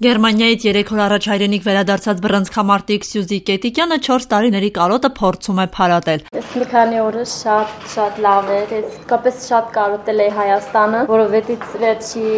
Գերմանիայից 3 օր առաջ հայրենիք վերադարձած բռնցքամարտիկ Սյուզի Կետիկյանը 4 տարիների կարոտը փորձում է փարատել։ Ես մի քանի օրը շատ լավ էր, ես կապես շատ կարոտել էի Հայաստանը, որովհետեւ վերջի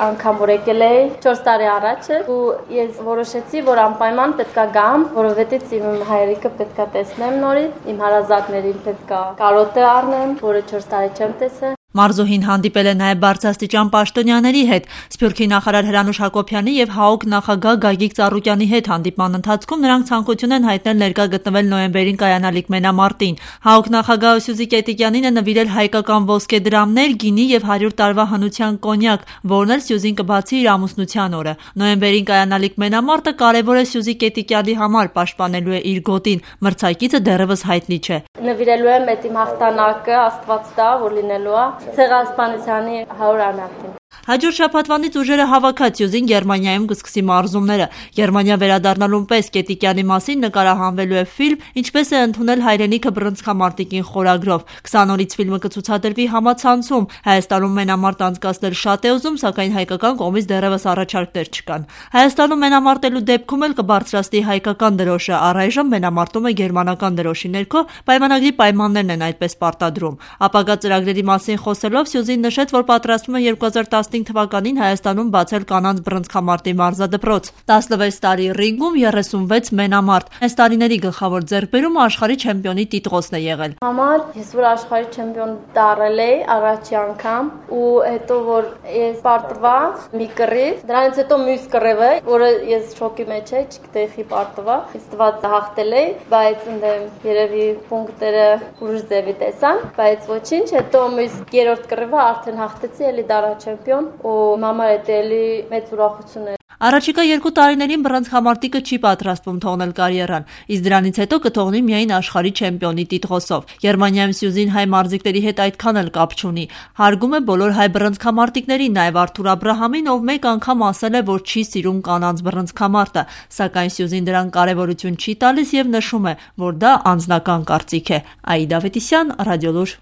անգամ որ եկել էի 4 տարի առաջ ու ես որոշեցի, որ անպայման պետքա գամ, որովհետեւ իմ հայրիկը պետքա տեսնեմ նորից, իմ հարազատներին պետքա կարոտը առնեմ, որը 4 տարի չեմ տեսել։ Մարզուհին հանդիպել է նաև բարձրաստիճան պաշտոնյաների հետ։ Սփյուռքի նախարար Հրանուշ Հակոբյանի եւ ՀԱՕԿ նախագահ Գագիկ Ծառուկյանի հետ հանդիպման ընթացքում նրանք ցանկություն են հայտնել ներկա գտնվել նոյեմբերին կայանալիք մենամարտին։ ՀԱՕԿ նախագահ Սյուզի Կետիկյանին է նվիրել հայկական ոսկեդրամներ, գինի եւ 100 տարվա հնության կոնյակ, որն էլ Սյուզին կբացի իր ամուսնության օրը։ Նոյեմբերին կայանալիք մենամարտը կարևոր է Սյուզի Կետիկյանի համար, պաշտպանելու է իր գոտին։ Մրցակիցը դեռևս հայտնի չէ։ Նվիրելու եմ այդ իմ հաղթանակը, Աստված տա, որ լինելու է Ցեղասպանությանի 100-ամյակին։ Հաջորդ շաբաթվանից ուժերը հավաքած Սյուզին Գերմանիայում կսկսի մարզումները։ Գերմանիա վերադառնալուն պես Կետիկյանի մասին նկարահանվելու է ֆիլմ, ինչպես է ընդունել հայրենիքը բռնցքամարտիկին խորագրով։ 20 օրից ֆիլմը կցուցադրվի համացանցում։ Հայաստանում մենամարտ անցկացնել շատ է ուզում, սակայն հայկական կողմից դեռևս առաջարկներ չկան։ Հայաստանում մենամարտելու դեպքում էլ կբարձրացնի հայկական դրոշը, առայժմ մենամարտում է գերմանական դրոշի ներքո, պայմանագրի պայմաններն են այդպես պարտադրում։ Ապագա ծրագրերի մասին խոսելով Սյուզին նշեց, որ պատրաստվում է 2015 թվականին Հայաստանում բացել կանանց բռնցքամարտի մարզադպրոց։ 16 տարի ռինգում 36 մենամարտ։ Այս տարիների գլխավոր ձեռքբերումը աշխարհի չեմպիոնի տիտղոսն է եղել։ Համար ես որ աշխարհի չեմպիոն դառել էի առաջի անգամ ու հետո որ ես պարտվա մի կռիվ, դրանից հետո մյուս կռիվը, որը ես շոկի մեջ էի, չգիտեի խի պարտվա, ես տված հաղթել էի, բայց ընդեմ երևի պունկտերը ուրիշ ձևի տեսան, բայց ոչինչ, հետո մյուս երրորդ կռիվը արդեն հաղթեցի, էլի դառա չեմպիոն ու մամա էլի մեծ ուրախություն է։ Առաջիկա 2 տարիներին բռնցքամարտիկը չի պատրաստվում թողնել կարիերան, իսկ դրանից հետո կթողնի միայն աշխարհի չեմպիոնի տիտղոսով։ Գերմանիայում Սյուզին հայ մարզիկների հետ այդքան էլ կապ չունի։ Հարգում է բոլոր հայ բռնցքամարտիկներին, նաև Արթուր Աբրահամին, ով մեկ անգամ ասել է, որ չի սիրում կանանց բռնցքամարտը, սակայն Սյուզին դրան կարևորություն չի տալիս եւ նշում է, որ դա անձնական կարծիք է։ Աիդա Ավետիսյան, Ռադիոլուր։